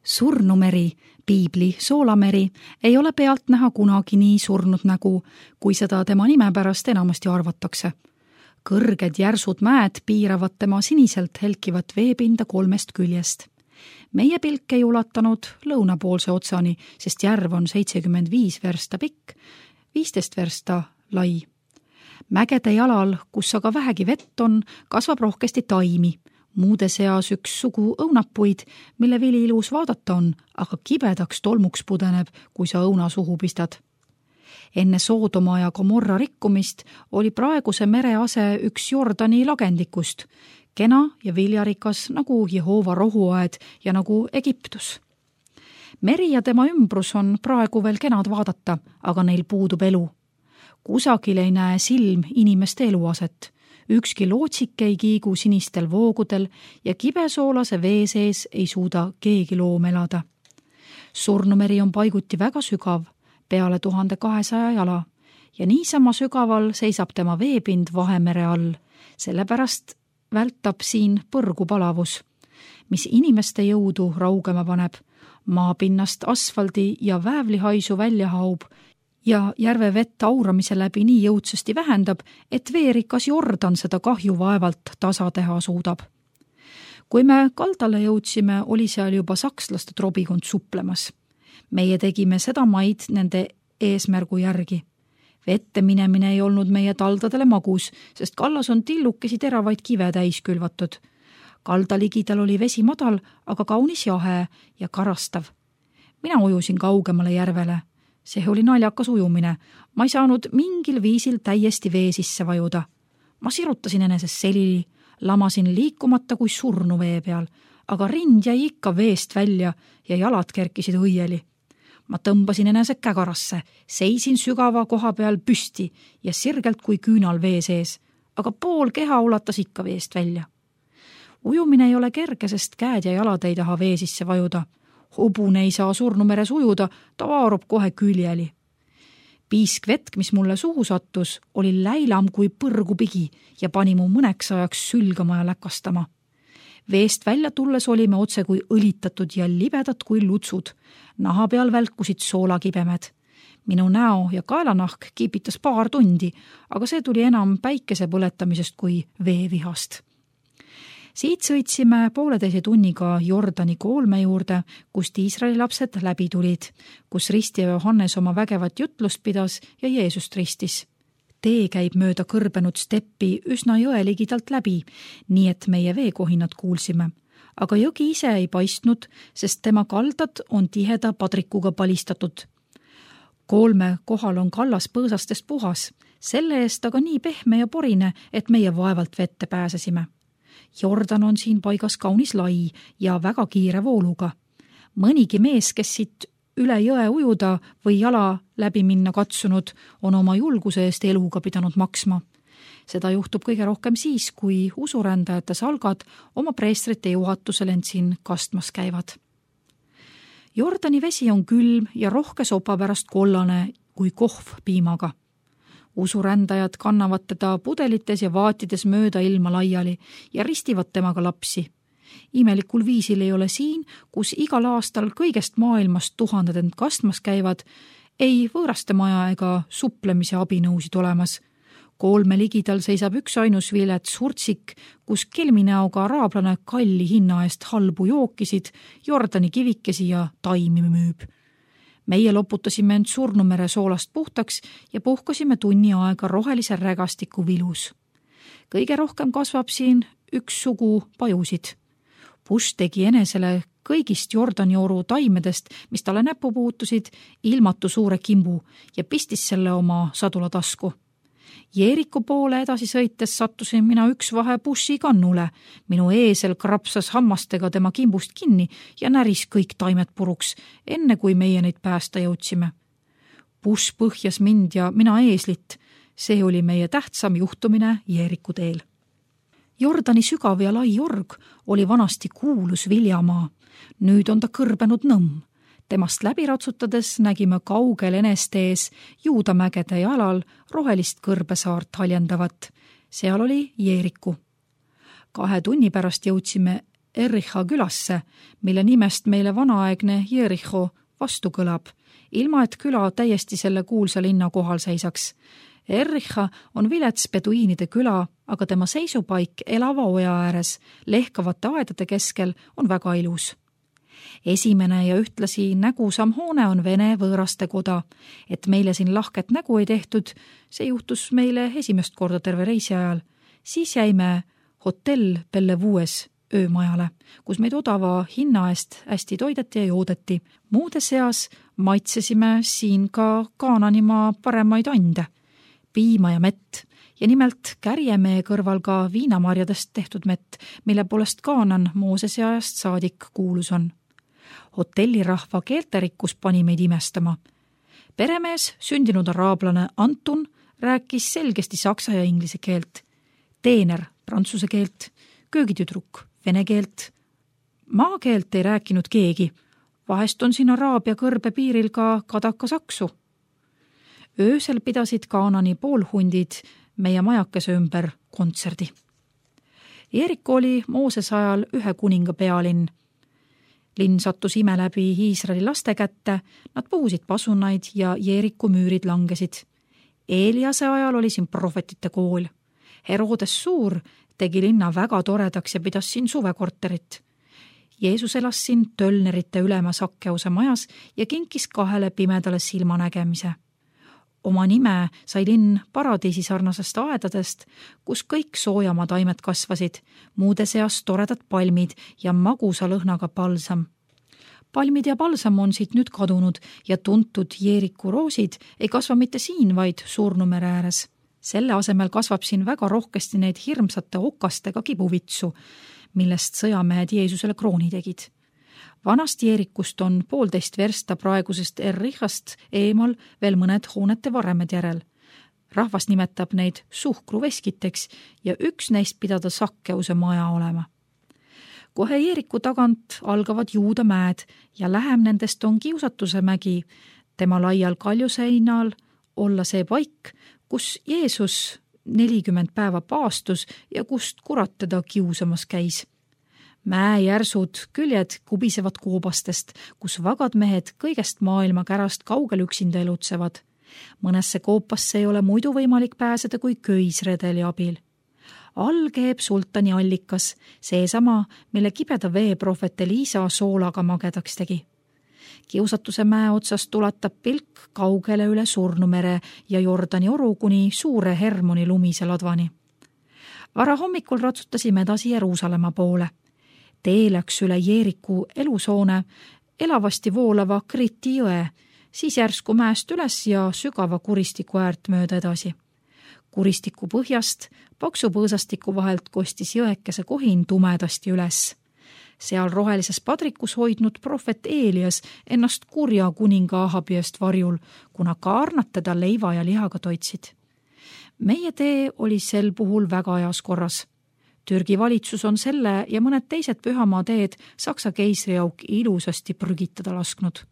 Surnumeri, piibli Soolameri, ei ole pealt näha kunagi nii surnud nägu, kui seda tema nime pärast enamasti arvatakse. Kõrged järsud mäed piiravad tema siniselt helkivat veepinda 3 küljest. Meie pilk ei ulatanud lõunapoolse otsani, sest järv on 75 versta pikk, 15 versta lai. Mägede jalal, kus aga vähegi vett on, kasvab rohkesti taimi. Muude seas üks sugu õunapuid, mille vili ilus vaadata on, aga kibedaks tolmuks pudeneb, kui sa õuna suhu pistad. Enne Soodoma ja Gomorra rikkumist oli praeguse mere ase üks Jordani lagendikust, kena ja viljarikas nagu Jehova rohuaed ja nagu Egiptus. Meri ja tema ümbrus on praegu veel kenad vaadata, aga neil puudub elu. Kusagil ei näe silm inimeste eluaset. Ükski lootsik ei kiigu sinistel voogudel ja kibesoolase vee sees ei suuda keegi loom elada. Surnumeri on paiguti väga sügav, peale 1200 jala, ja niisama sügaval seisab tema veepind Vahemere all, sellepärast vältab siin põrgu palavus, mis inimeste jõudu raugema paneb, maapinnast asfaldi ja väävlihaisu välja haub ja järve vett auramise läbi nii jõudsasti vähendab, et veerikas Jordan seda kahju vaevalt tasa teha suudab. Kui me kaldale jõudsime, oli seal juba sakslaste trobikond suplemas. Meie tegime seda maid nende eesmärgu järgi. Vette minemine ei olnud meie taldadele magus, sest kallas on tillukesi teravaid kive täis külvatud. Kalda ligidal oli vesi madal, aga kaunis jahe ja karastav. Mina ujusin kaugemale järvele. See oli naljakas ujumine. Ma ei saanud mingil viisil täiesti vee sisse vajuda. Ma sirutasin enesest selili, lamasin liikumata kui surnu vee peal, aga rind jäi ikka veest välja ja jalad kerkisid õieli. Ma tõmbasin enese kägarasse, seisin sügava koha peal püsti ja sirgelt kui küünal vee sees, aga pool keha ulatas ikka veest välja. Ujumine ei ole kerge, sest käed ja jalad ei taha vee sisse vajuda. Hobune ei saa surnumeres ujuda, ta vaarub kohe küljeli. Piisk vetk, mis mulle suhu sattus, oli läilam kui põrgupigi ja pani mu mõneks ajaks sülgama ja läkastama. Veest välja tulles olime otse kui õlitatud ja libedad kui lutsud. Naha peal välkusid soolakibemed. Minu näo ja kaelanahk kiipitas paar tundi, aga see tuli enam päikese põletamisest kui veevihast. Siit sõitsime 1,5 tunniga Jordani koolme juurde, kust Iisraeli lapsed läbi tulid, kus ristija Johannes oma vägevat jutlust pidas ja Jeesust ristis. Tee käib mööda kõrbenud steppi üsna jõe ligidalt läbi, nii et meie veekohinad kuulsime. Aga jõgi ise ei paistnud, sest tema kaldad on tiheda padrikuga palistatud. Koolme kohal on kallas põõsastest puhas, selle eest aga nii pehme ja porine, et meie vaevalt vette pääsesime. Jordan on siin paigas kaunis lai ja väga kiire vooluga. Mõnigi mees, kes siit üle jõe ujuda või jala läbi minna katsunud, on oma julguse eest eluga pidanud maksma. Seda juhtub kõige rohkem siis, kui usurändajate salgad oma preestrite juhatusel end siin kastmas käivad. Jordani vesi on külm ja rohke sopa pärast kollane kui kohv piimaga. Usurändajad kannavad teda pudelites ja vaatides mööda ilma laiali ja ristivad temaga lapsi. Imelikul viisil ei ole siin, kus igal aastal kõigest maailmast tuhanded end kastmas käivad, ei võõraste maja ega suplemise abinõusid olemas. Koolme ligidal seisab üks ainus vilets hurtsik, kus kelminäoga araablane kalli hinna eest halbu jookisid, Jordani kivikesi ja taimi müüb. Meie loputasime end Surnumere soolast puhtaks ja puhkasime tunni aega rohelise rägastiku vilus. Kõige rohkem kasvab siin üks sugu pajusid. Bush tegi enesele kõigist Jordani oru taimedest, mis talle näppu puutusid, ilmatu suure kimbu ja pistis selle oma sadulatasku. Jeeriku poole edasi sõites sattusin mina üks vahe Bushi kannule. Minu eesel krapsas hammastega tema kimbust kinni ja näris kõik taimed puruks, enne kui meie neid päästa jõudsime. Bush põhjas mind ja mina eeslit. See oli meie tähtsam juhtumine Jeeriku teel. Jordani sügav ja lai jorg oli vanasti kuulus viljamaa. Nüüd on ta kõrbenud nõmm. Temast läbi ratsutades nägime kaugel eneste ees Juudamägede jalal rohelist kõrbesaart haljendavat. Seal oli Jeeriku. 2 tunni pärast jõudsime Ericha külasse, mille nimest meile vanaaegne Jericho vastu kõlab, ilma et küla täiesti selle kuulsa linna kohal seisaks. Ericha on vilets peduiinide küla, aga tema seisupaik elava oja ääres, lehkavate aedade keskel on väga ilus. Esimene ja ühtlasi nägusam hoone on Vene võõraste koda, et meile siin lahket nägu ei tehtud, see juhtus meile esimest korda terve reisi ajal. Siis jäime hotell Bellevues öömajale, kus meid odava hinna eest hästi toideti ja joodeti. Muude seas maitsesime siin ka Kaananimaa paremaid ande, piima ja mett, ja nimelt kärjemäe kõrval ka viinamarjadest tehtud mett, mille poolest Kaanan Moosese ajast saadik kuulus on. Hotellirahva keelterikkus pani meid imestama. Peremees, sündinud araablane Antun, rääkis selgesti saksa ja inglise keelt, teener prantsuse keelt, köögitüdruk vene keelt. Maakeelt ei rääkinud keegi, vahest on siin Araabia kõrbe piiril ka kadakasaksu. Öösel pidasid Kaanani poolhundid meie majakese ümber kontserdi. Jeeriku oli Moosese ajal ühe kuninga pealinn. Linn sattus ime läbi Iisraeli laste kätte, nad puhusid pasunaid ja Jeeriku müürid langesid. Eeliase ajal oli siin prohvetite kool. Herodes Suur tegi linna väga toredaks ja pidas siin suvekorterit. Jeesus elas siin tölnerite ülema Sakkeuse majas ja kinkis 2 pimedale silmanägemise. Oma nime sai linn paradiisi sarnasest aedadest, kus kõik soojama taimed kasvasid, muude seas toredad palmid ja magusa lõhnaga palsam. Palmid ja palsam on siit nüüd kadunud ja tuntud Jeeriku roosid ei kasva mitte siin, vaid Surnumere ääres. Selle asemel kasvab siin väga rohkesti neid hirmsate okastega kibuvitsu, millest sõjamehed Jeesusele krooni tegid. Vanast Jeerikust on 1,5 versta praegusest Erichast eemal veel mõned hoonete varemed järel. Rahvas nimetab neid suhkruveskiteks ja üks neist pidada Sakkeuse maja olema. Kohe Jeeriku tagant algavad Juuda mäed ja lähem nendest on Kiusatuse mägi, tema laial kaljuseinal olla see paik, kus Jeesus 40 päeva paastus ja kust kurat teda kiusamas käis. Mäejärsud küljed kubisevad koobastest, kus vagad mehed kõigest maailma kärast kaugel üksinda elutsevad. Mõnesse koopasse ei ole muidu võimalik pääseda kui köisredeli abil. All keeb sultani allikas, seesama, mille kibeda vee prohvet Eliisa soolaga magedaks tegi. Kiusatuse mäe otsast tulatab pilk kaugele üle Surnumere ja Jordani oru kuni suure Hermoni lumise ladvani. Vara hommikul ratsutasime edasi Jeruusalemma poole. Tee läks üle Jeeriku elusoone, elavasti voolava Kriti jõe, siis järsku mäest üles ja sügava kuristiku äärt mööda edasi. Kuristiku põhjast paksu põõsastiku vahelt kostis jõekese kohin tumedasti üles. Seal rohelises padrikus hoidnud prohvet Eelias ennast kurja kuninga Ahabi eest varjul, kuna kaarnad teda leiva ja lihaga toitsid. Meie tee oli sel puhul väga ajas korras. Türgi valitsus on selle ja mõned teised pühamaa teed Saksa keisriauk ilusasti prügitada lasknud.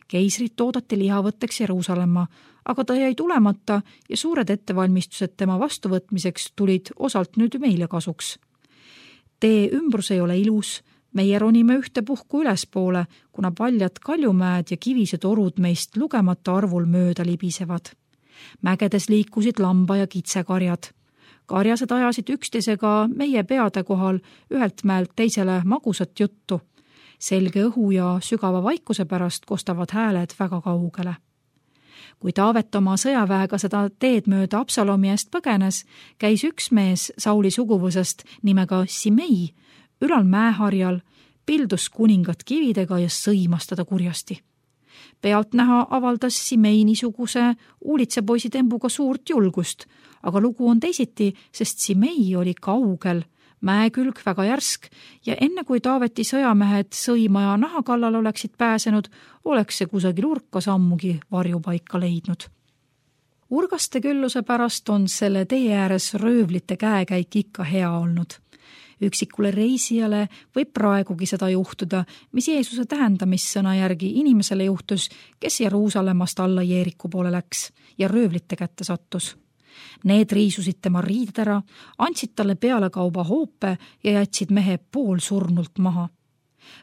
Keisrit oodati lihavõtteks Jeruusalemma, aga ta jäi tulemata ja suured ettevalmistused tema vastuvõtmiseks tulid osalt nüüd meile kasuks. Tee ümbrus ei ole ilus, meie ronime ühtepuhku ülespoole, kuna paljad kaljumäed ja kivised orud meist lugemata arvul mööda libisevad. Mägedes liikusid lamba- ja kitsekarjad. Karjased ajasid üksteisega meie peade kohal ühelt mäelt teisele magusat juttu. Selge õhu ja sügava vaikuse pärast kostavad hääled väga kaugele. Kui Taavet oma sõjaväega seda teed mööda Absalomi eest põgenes, käis üks mees Sauli suguvõsast nimega Simei ülal mäeharjal, pildus kuningat kividega ja sõimas teda kurjasti. Pealt näha avaldas Simei niisuguse uulitsepoisi tembuga suurt julgust, aga lugu on teisiti, sest Simei oli kaugel, mäekülg väga järsk ja enne kui Taaveti sõjamehed sõima ja naha kallal oleksid pääsenud, oleks see kusagil urka sammugi varjupaika leidnud. Urgaste külluse pärast on selle tee ääres röövlite käekäik ikka hea olnud. Üksikule reisijale võib praegugi seda juhtuda, mis Jeesuse tähendamissõna järgi inimesele juhtus, kes Jeruusalemmast alla Jeeriku poole läks ja röövlite kätte sattus. Need riisusid tema riided ära, andsid talle pealekauba hoope ja jätsid mehe poolsurnult maha.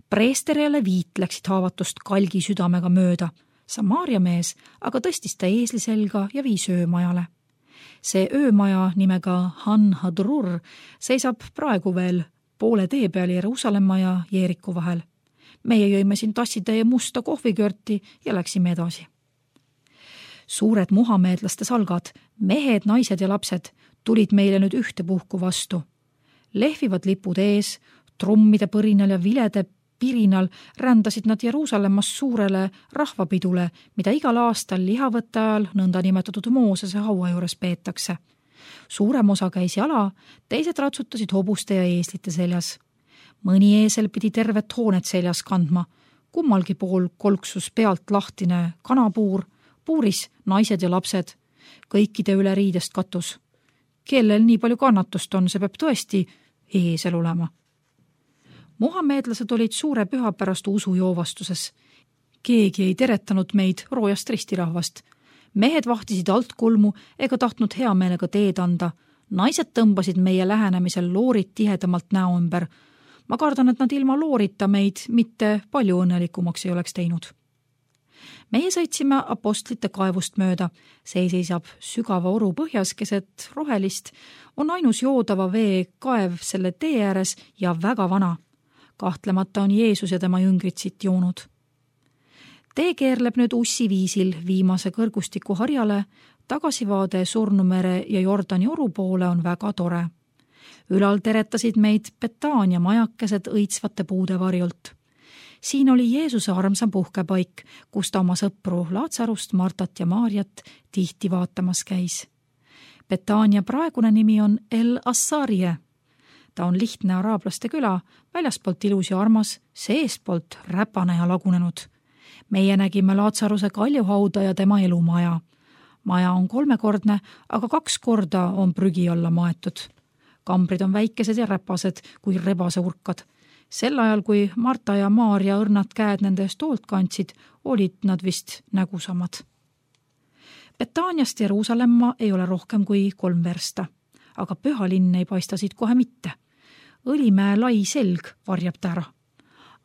Preester ja leviit läksid haavatust kalgi südamega mööda. Samaaria mees aga tõstis ta eesli selga ja viis öömajale. See öömaja nimega Han Hadrur seisab praegu veel poole tee peal Jeruusalemma ja Jeeriku vahel. Meie jõime siin tassitäie musta kohvikörti ja läksime edasi. Suured muhameedlaste salgad, mehed, naised ja lapsed tulid meile nüüd ühtepuhku vastu. Lehvivad lipud ees, trummide põrinal ja vilede pirinal rändasid nad Jeruusalemmas suurele rahvapidule, mida igal aastal lihavõtte ajal nõnda nimetatud Moosese haua juures peetakse. Suurem osa käis jala, teised ratsutasid hobuste ja eeslite seljas. Mõni eesel pidi tervet hoonet seljas kandma, kummalgi pool kolksus pealt lahtine kanapuur, puuris naised ja lapsed, kõikide üle riidest katus. Kellel nii palju kannatust on, see peab tõesti eesel olema. Muhameedlased olid suure püha pärast usujoovastuses. Keegi ei teretanud meid roojast ristirahvast. Mehed vahtisid altkulmu ega tahtnud hea meelega teed anda. Naised tõmbasid meie lähenemisel loorid tihedamalt näo ümber. Ma kardan, et nad ilma loorita meid mitte palju õnnelikumaks ei oleks teinud. Meie sõitsime apostlite kaevust mööda. See seisab sügava oru põhjas keset rohelist, on ainus joodava vee kaev selle tee ääres ja väga vana. Kahtlemata on Jeesus ja tema jüngrid siit joonud. Tee keerleb nüüd ussi viisil viimase kõrgustiku harjale, tagasivaade Surnumere ja Jordani oru poole on väga tore. Ülal teretasid meid Betaania majakesed õitsvate puude varjult. Siin oli Jeesuse armsam puhkepaik, kus ta oma sõpru Laatsarust, Martat ja Maarjat tihti vaatamas käis. Betaania praegune nimi on El Assarie. Ta on lihtne araablaste küla, väljaspoolt ilus ja armas, seestpoolt räpane ja lagunenud. Meie nägime Laatsaruse kaljuhauda ja tema elumaja. Maja on 3-kordne, aga 2 korda on prügi alla maetud. Kambrid on väikesed ja räpased kui rebase urkad. Sel ajal, kui Marta ja Maarja õrnad käed nende eest hoolt kandsid, olid nad vist nägusamad. Betaaniast Jeruusalemma ei ole rohkem kui 3 versta, aga püha linn ei paista siit kohe mitte. Õlimäe lai selg varjab ta ära.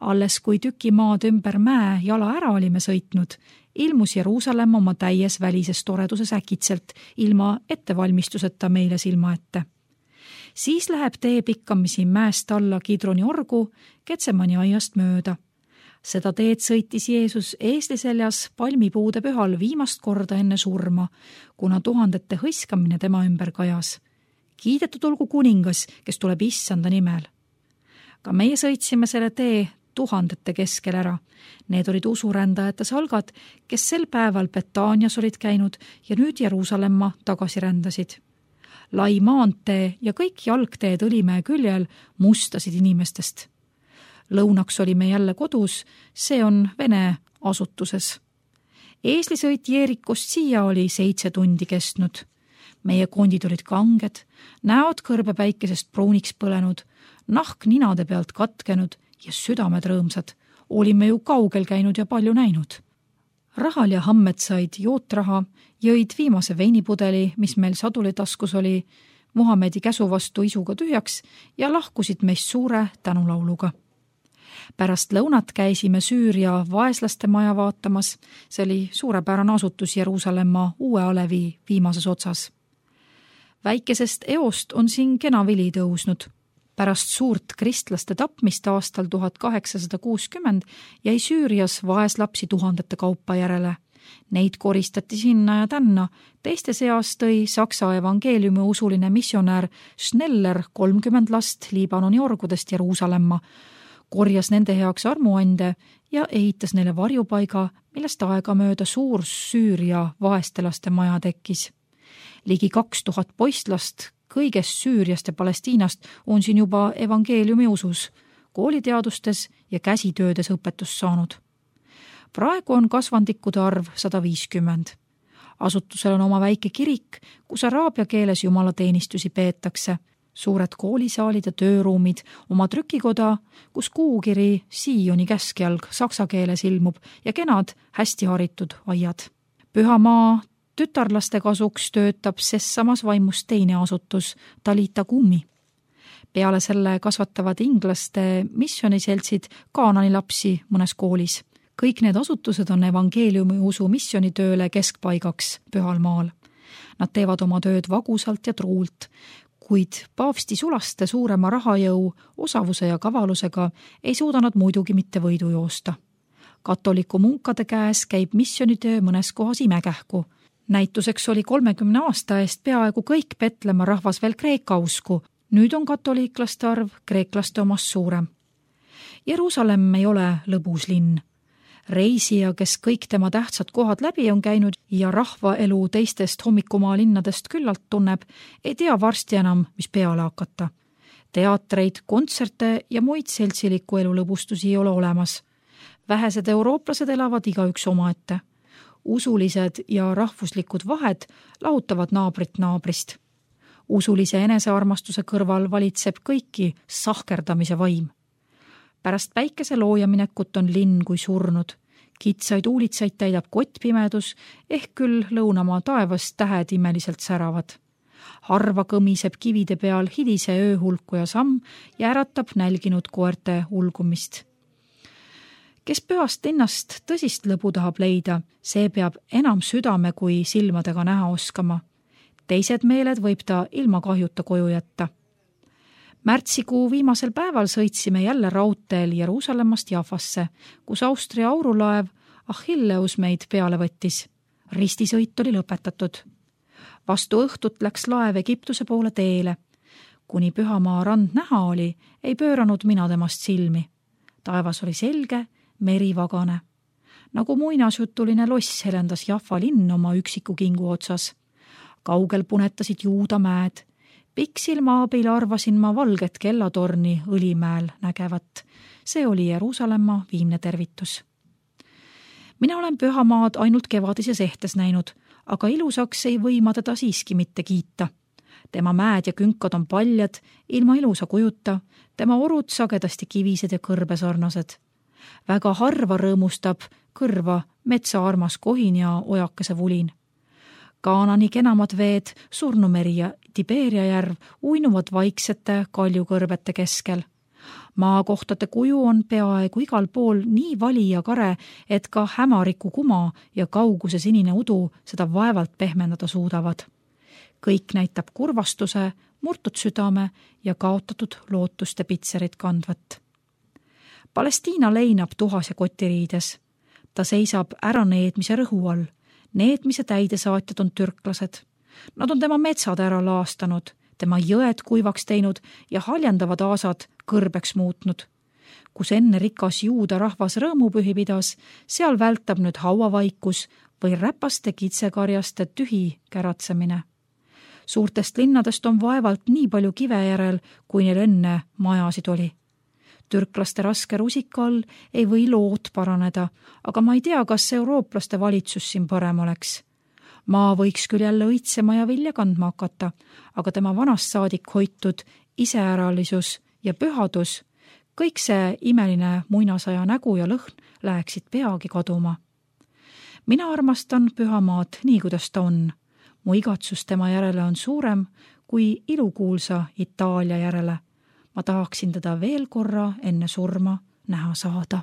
Alles kui tüki maad ümber mäe jala ära olime sõitnud, ilmus Jeruusalemma oma täies välises toreduses äkitselt, ilma ettevalmistuseta meile silma ette. Siis läheb tee pikkamisi mäest alla Kidroni orgu Ketsemani aiast mööda. Seda teed sõitis Jeesus eesli seljas palmipuude pühal viimast korda enne surma, kuna tuhandete hõiskamine tema ümber kajas. Kiidetud olgu kuningas, kes tuleb issanda nimel. Ka meie sõitsime selle tee tuhandete keskel ära. Need olid usurändajate salgad, kes sel päeval Betaanias olid käinud ja nüüd Jeruusalemma tagasi rändasid. Lai maantee ja kõik jalgteed Õlimäe küljel mustasid inimestest. Lõunaks olime jälle kodus, see on Vene asutuses. Eeslisõit Jeerikost siia oli 7 tundi kestnud. Meie kondid olid kanged, näod kõrbepäikesest pruuniks põlenud, nahk ninade pealt katkenud ja südamed rõõmsad. Olime ju kaugel käinud ja palju näinud. Rahal ja Hammed said jootraha, jõid viimase veinipudeli, mis meil saduli taskus oli, Muhamedi käsu vastu isuga tühjaks ja lahkusid meist suure tänulauluga. Pärast lõunat käisime Süüria vaeslaste maja vaatamas, see oli suurepärane asutus Jeruusalemma uue alevi viimases otsas. Väikesest eost on siin kena vili tõusnud. Pärast suurt kristlaste tapmist aastal 1860 jäi Süürias vaeslapsi tuhandete kaupa järele. Neid koristati sinna ja tänna. Teiste seas tõi Saksa evangeeliumi usuline missionär Schneller 30 last Liibanoni orgudest Jeruusalemma, korjas nende heaks armuande ja ehitas neile varjupaiga, millest aegamööda suur Süüria vaestelaste maja tekkis. Ligi 2000 poistlast kõigest Süüriast ja Palestiinast on siin juba evangeeliumi usus, kooliteadustes ja käsitöödes õpetust saanud. Praegu on kasvandikude arv 150. Asutusel on oma väike kirik, kus araabia keeles jumalateenistusi peetakse, suured koolisaalid ja tööruumid, oma trükikoda, kus kuukiri Sioni käskjalg saksa keeles ilmub ja kenad hästi haritud aiad. Pühamaa tütarlaste kasuks töötab ses samas vaimus teine asutus, Talita Kummi. Peale selle kasvatavad inglaste missiooniseltsid Kaanani lapsi mõnes koolis. Kõik need asutused on evangeeliumi usu missionitööle keskpaigaks Pühal maal. Nad teevad oma tööd vagusalt ja truult, kuid paavsti sulaste suurema rahajõu, osavuse ja kavalusega ei suuda nad muidugi mitte võidu joosta. Katoliku munkade käes käib missionitöö mõnes kohas imekähku. Näituseks oli 30 aasta eest peaaegu kõik Petlemma rahvas veel kreeka usku. Nüüd on katoliiklaste arv kreeklaste omast suurem. Jeruusalemm ei ole lõbus linn. Reisija, kes kõik tema tähtsad kohad läbi on käinud ja rahvaelu teistest hommikumaa linnadest küllalt tunneb, ei tea varsti enam, mis peale hakata. Teatreid, kontserte ja muid seltsiliku elu lõbustusi ei ole olemas. Vähesed eurooplased elavad igaüks omaette. Usulised ja rahvuslikud vahed lahutavad naabrit naabrist. Usulise enesearmastuse kõrval valitseb kõiki sahkerdamise vaim. Pärast päikese loojaminekut on linn kui surnud. Kitsaid uulitsaid täidab kottpimedus, ehk küll lõunamaa taevas tähed imeliselt säravad. Harva kõmiseb kivide peal hidise ööhulkuja samm ja äratab nälginud koerte ulgumist. Kes pühast linnast tõsist lõbu tahab leida, see peab enam südame kui silmadega näha oskama. Teised meeled võib ta ilma kahjuta koju jätta. Märtsikuu viimasel päeval sõitsime jälle raudteel Jeruusalemmast Jaffasse, kus Austria aurulaev Achilleus meid peale võttis. Ristisõit oli lõpetatud. Vastu õhtut läks laev Egiptuse poole teele. Kuni Pühamaa rand näha oli, ei pööranud mina temast silmi. Taevas oli selge, meri vagane. Nagu muinasjutuline loss helendas Jaffa linn oma üksiku kingu otsas. Kaugel punetasid Juuda mäed. Pikksilma abil arvasin ma valget kellatorni Õlimäel nägevat. See oli Jeruusalemma viimne tervitus. Mina olen Pühamaad ainult kevadises ehtes näinud, aga ilusaks ei või ma teda siiski mitte kiita. Tema mäed ja künkad on paljad, ilma ilusa kujuta, tema orud sagedasti kivised ja kõrbesarnased. Väga harva rõõmustab kõrva metsaarmas kohin ja ojakese vulin. Kaanani kenamad veed, Surnumeri ja Tiberia järv uinuvad vaiksete kaljukõrbete keskel. Maakohtade kuju on peaaegu igal pool nii vali ja kare, et ka hämariku kuma ja kauguse sinine udu seda vaevalt pehmendada suudavad. Kõik näitab kurvastuse, murtud südame ja kaotatud lootuste pitserit kandvat. Palestiina leinab tuhas ja kotiriides. Ta seisab äraneedmise rõhu all. Needmise täidesaatjad on türklased. Nad on tema metsad ära laastanud, tema jõed kuivaks teinud ja haljendavad aasad kõrbeks muutnud. Kus enne rikas juuda rahvas rõõmupühi pidas, seal vältab nüüd hauavaikus või räpaste kitsekarjaste tühi käratsemine. Suurtest linnadest on vaevalt nii palju kive järel, kui neil enne majasid oli. Türklaste raske rusika all ei või lood paraneda, aga ma ei tea, kas eurooplaste valitsus siin parem oleks. Maa võiks küll jälle õitsema ja vilja kandma hakata, aga tema vanast saadik hoitud iseäralisus ja pühadus, kõik see imeline muinasaja nägu ja lõhn läheksid peagi kaduma. Mina armastan Pühamaad nii, kuidas ta on. Mu igatsus tema järele on suurem kui ilukuulsa Itaalia järele. Ma tahaksin teda veel korra enne surma näha saada.